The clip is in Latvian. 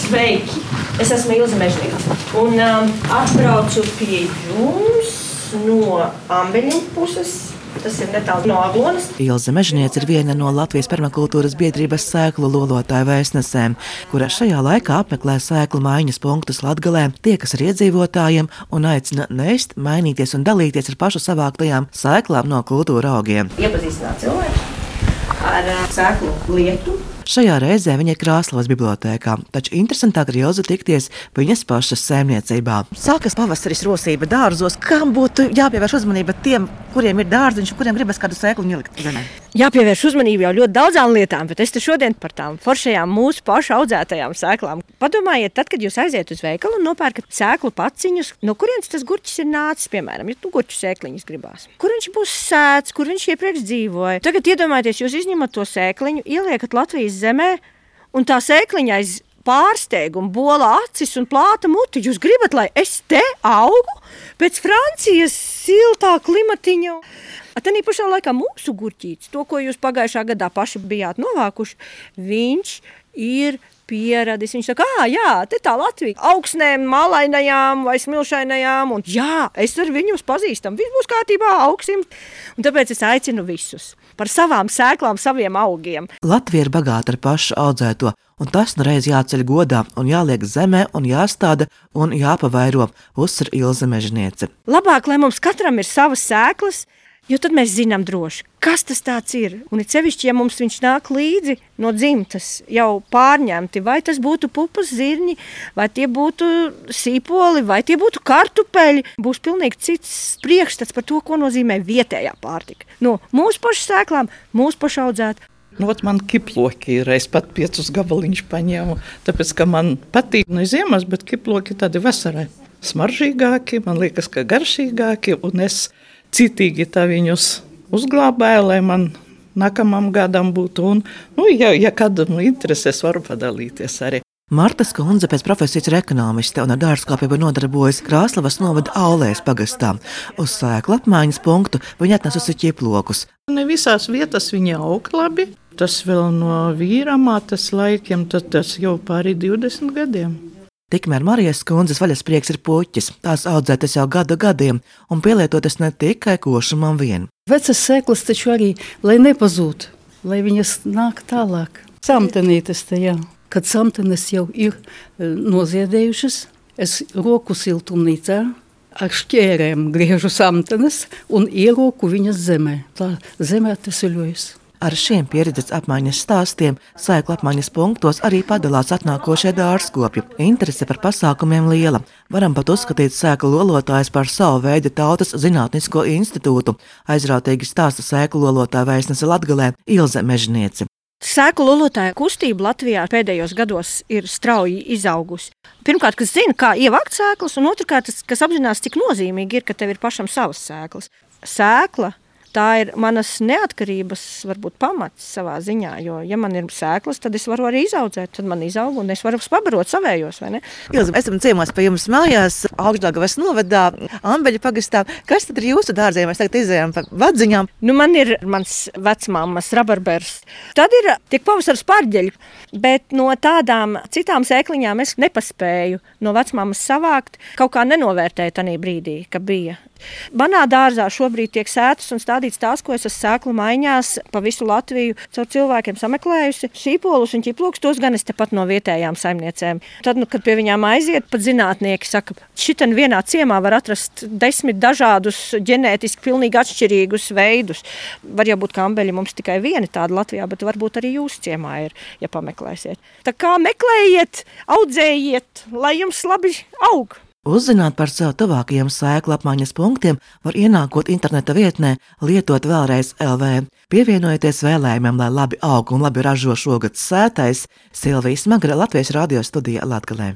Sveiki! Es esmu Ilze Mežniece un atbraucu pie jums no Ambeļu puses. Tas ir netālu no Aglonas. Ilze Mežniece ir viena no Latvijas permakultūras biedrības sēklu lolotāju vēstnesēm, kura šajā laikā apmeklē sēklu maiņas punktus Latgalē, tiekas ar iedzīvotājiem un aicina nest, mainīties un dalīties ar pašu savāktajām sēklām no kultūra augiem. Iepazīstināt cilvēku ar sēklu lietu. Šajā reizē viņa ir Krāslavas bibliotēkā, taču interesantāk ir Ilze tikties viņas pašas saimniecībā. Sākas pavasaris rosība dārzos. Kam būtu jāpievērš uzmanība tiem, kuriem ir dārziņš un kuriem gribas kādu sēklu ielikt zemē? Jāpievērš uzmanību jau ļoti daudzām lietām, bet es te šodien par tām foršajām mūsu pašu audzētajām sēklām. Padomājiet, tad, kad jūs aiziet uz veikalu un nopērkat sēklu paciņus, no kurienes tas gurķis ir nācis, piemēram, ja gurķu sēkliņas gribās. Kur viņš būs sēts, kur viņš iepriekš dzīvoja. Tagad iedomājieties, jūs izņemat to sēkliņu, ieliekat Latvijas zemē, un tā sēkliņa aiz pārsteigumu bola acis un plāta muti. Jūs gribat, lai es te augu pēc Francijas siltā klimatiņa? Tanī pašā laikā mūsu gurķītis, to, ko jūs pagājušā gadā paši bijāt novākuši, viņš ir pieradis. Viņš saka, jā, te tā Latvija, augsnēm, malainajām vai smilšainajām, un jā, es ar viņus pazīstam, viss būs kārtībā, augsim. Un tāpēc es aicinu visus par savām sēklām, saviem augiem. Latvija ir bagāta ar pašu audzēto, un tas nu reiz jāceļ godā un jāliek zemē un jāstāda un jāpavairo, uzsver Ilze Mežniece. Labāk, lai mums katram ir savas sēklas, jo tad mēs zinām droši, kas tas tāds ir. Un ir sevišķi, ja mums viņš nāk līdzi no dzimtas, jau pārņemti, vai tas būtu pupas zirņi, vai tie būtu sīpoli, vai tie būtu kartupeļi. Būs pilnīgi cits priekšstats par to, ko nozīmē vietējā pārtika. No mūsu pašu sēklām, mūsu pašu audzēt. Man kiploki ir, es pat 5 gabaliņus paņēmu, tāpēc, ka man patīk no ziemas, bet kiploki tādi vasarai smaržīgāki, man liekas, ka garšīgāki, un es citīgi tā viņus uzglābēju, lai man nākamam gadam būtu. Un, ja kādam interesēs, varu padalīties arī. Marta Skundze pēc profesijas ir ekonomiste un ar dārzkopību nodarbojas Krāslavas novada Aulēs pagastā. Uz sēklu apmaiņas punktu viņa atnesusi ķiplokus. Ne visās vietās viņa aug labi. Tas vēl no vīramātes laikiem, tas jau pāri 20 gadiem. Tikmēr Marijas Skundzes vaļasprieks ir puķis. Tās audzētas jau gadu gadiem un pielietotas ne tikai košumam vien. Vecas sēklas taču arī, lai nepazūd, lai viņas nāk tālāk. Samtenītes te, jā. Kad samtenes jau ir noziedējušas, es roku siltumnīcā ar šķērēm griežu samtenes un ieroku viņas zemē. Tā zemē atveseļojas. Ar šiem pieredzes apmaiņas stāstiem sēklu apmaiņas punktos arī padalās atnākošie dārzkopji. Interese par pasākumiem liela. Varam pat uzskatīt sēklu lolotājus par savu veidu tautas zinātnisko institūtu. Aizrautīgi stāsta sēklu lolotāja vēstnese Latgalē Ilze Mežniece. Sēklu lolotāja kustība Latvijā pēdējos gados ir strauji izaugusi. Pirmkārt, kas zina, kā ievākt sēklas, un otrkārt, kas apzinās, cik nozīmīgi ir, ka tev ir pašam savas sēklas. Sēkla tā ir manas neatkarības, varbūt pamats savā ziņā, jo, ja man ir sēklas, tad es varu arī izaudzēt, tad man izaug un es varu pabarot savējos, vai ne? Ilze, esam ciemos pie jums mājās, Augšdaugavas novadā, Ambeļu pagastā. Kas tad ir jūsu dārziem? Mēs tagad izējām pa vadziņām. Man ir mans vecmāmas rabarbers. Tad tiek pavasaras pārģeļi, bet no tādām citām sēkliņām es nepaspēju no vecmāmas savākt, kaut kā nenovērtēju tanī brīdī, ka bija. Manā dārzā šobrīd tiek sētas un stādīts tās, ko es esmu sēklu maiņās pa visu Latviju caur cilvēkiem sameklējusi. Sīpolus un ķiplokus, tos gan es tepat no vietējām saimniecēm. Tad, kad pie viņām aiziet, pat zinātnieki saka, šitan vienā ciemā var atrast 10 dažādus ģenētiski pilnīgi atšķirīgus veidus. Var jau būt, ka ambeļi mums tikai vieni tādi Latvijā, bet varbūt arī jūsu ciemā ir, ja pameklēsiet. Tā kā meklējiet, audzējiet, lai jums labi aug! Uzzināt par sev tuvākajiem sēklu apmaiņas punktiem var ienākot interneta vietnē Lietot vēlreiz LV. Pievienojieties vēlējumam, lai labi aug un labi ražo šogad sētais. Silvija Smagra, Latvijas radio studija Latgalē.